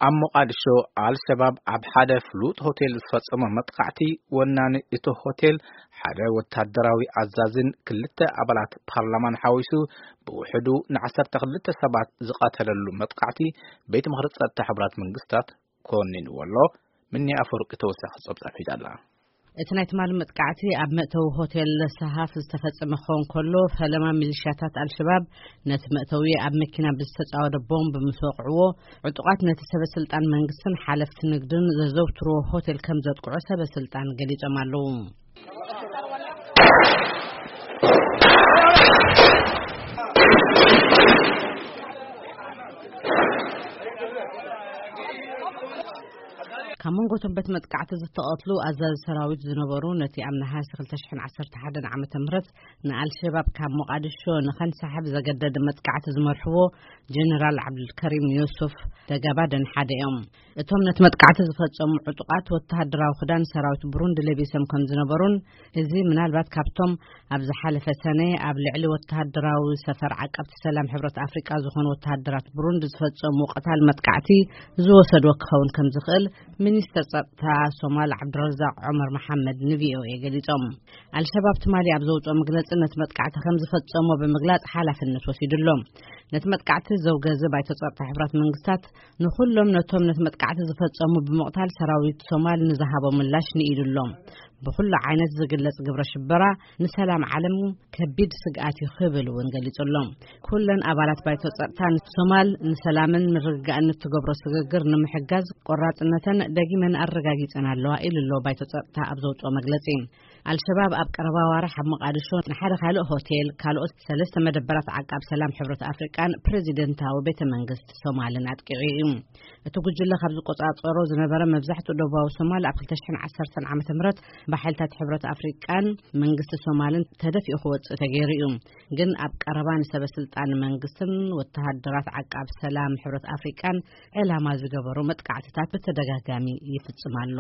ኣብ ሞቓዲሾ፣ ኣልሸባብ ኣብ ሓደ ፍሉጥ ሆቴል ዝፈጸሞ መጥቃዕቲ፣ ወናኒ እቲ ሆቴል፣ ሓደ ወታደራዊ ኣዛዝን ክልተ ኣባላት ፓርላማን ሓዊሱ፣ ብውሕዱ ንዓሰርተ ክልተ ሰባት ዝቐተለሉ መጥቃዕቲ፣ ቤት ምኽሪ ጸጥታ ሕቡራት መንግስታት ኮኒንዎ ኣሎ። ምኒ ኣፈወርቂ ተወሳኺ ጸብጻብ ሒዛ ኣላ። እቲ ናይ ትማሊ መጥቃዕቲ ኣብ መእተዊ ሆቴል ሰሃፍ ዝተፈጸመ ክኸውን ከሎ፣ ፈለማ ሚሊሻታት ኣልሸባብ ነቲ መእተዊ ኣብ መኪና ብዝተጻወደ ቦምብ ምስ ወቕዕዎ፣ ዕጡቓት ነቲ ሰበ ስልጣን መንግስትን ሓለፍቲ ንግድን ዘዘውትርዎ ሆቴል ከም ዘጥቅዑ ሰበ ስልጣን ገሊጾም ኣለዉ። ካብ መንጎ እቶም በት መጥቃዕቲ ዝተቐትሉ ኣዛዚ ሰራዊት ዝነበሩ፣ ነቲ ኣብ ነሃሲ ክልተ ሽሕን ዓሰርተ ሓደን ዓመተ ምህረት ንኣልሸባብ ካብ ሞቓዲሾ ንኸንሳሕብ ዘገደደ መጥቃዕቲ ዝመርሕዎ ጀነራል ዓብዱልከሪም ዮሱፍ ደጋባደን ሓደ እዮም። እቶም ነቲ መጥቃዕቲ ዝፈጸሙ ዕጡቓት ወተሃደራዊ ክዳን ሰራዊት ብሩንዲ ለቢሶም ከም ዝነበሩን፣ እዚ ምናልባት ካብቶም ኣብ ዝሓለፈ ሰነ ኣብ ልዕሊ ወተሃደራዊ ሰፈር ዓቀብቲ ሰላም ሕብረት ኣፍሪቃ ዝኾኑ ወተሃደራት ብሩንዲ ዝፈጸሙ ቀታል መጥቃዕቲ ዝወሰድዎ ክኸውን ከም ዝኽእል ሚኒስተር ጸጥታ ሶማል ዓብዱረዛቅ ዑመር መሓመድ ንቪኦኤ ገሊጾም። ኣልሸባብ ትማሊ ኣብ ዘውጽኦ መግለጺ፣ ነቲ መጥቃዕቲ ከም ዝፈጸሞ ብምግላጽ ሓላፍነት ወሲዱ ኣሎ። ነቲ መጥቃዕቲ ዘውገዘ ባይቶ ጸጥታ ሕብራት መንግስታት፣ ንኹሎም ነቶም ነቲ መጥቃዕቲ ዝፈጸሙ ብምቕታል፣ ሰራዊት ሶማል ንዝሃቦ ምላሽ ንኢዱ ኣሎ። ብኹሉ ዓይነት ዝግለጽ ግብረ ሽበራ ንሰላም ዓለም ከቢድ ስግኣት እዩ ክብል እውን ገሊጹ ኣሎ። ኩለን ኣባላት ባይቶ ጸጥታ ንሶማል ንሰላምን ምርግጋእን እትገብሮ ስግግር ንምሕጋዝ ቆራጽነተን ደጊመን ኣረጋጊጸን ኣለዋ ኢሉ ኣሎ ባይቶ ጸጥታ ኣብ ዘውጽኦ መግለጺ። ኣልሸባብ ኣብ ቀረባ ዋርሕ ኣብ መቃድሾ ንሓደ ካልእ ሆቴል፣ ካልኦት ሰለስተ መደበራት ዓቃብ ሰላም ሕብረት ኣፍሪቃን ፕሬዚደንታዊ ቤተ መንግስቲ ሶማልን ኣጥቂዑ እዩ። እቲ ጉጅለ ካብ ዝቆጻጸሮ ዝነበረ መብዛሕትኡ ደቡባዊ ሶማል ኣብ ክልተ ሽሕን ዓሰርተን ዓመተ ምህረት ብሓይልታት ሕብረት ኣፍሪቃን መንግስቲ ሶማልን ተደፊኡ ክወጽእ ተገይሩ እዩ። ግን ኣብ ቀረባ ንሰበ ስልጣን መንግስትን ወተሃደራት ዓቃብ ሰላም ሕብረት ኣፍሪቃን ዕላማ ዝገበሩ መጥቃዕትታት ብተደጋጋሚ ይፍጽም ኣሎ።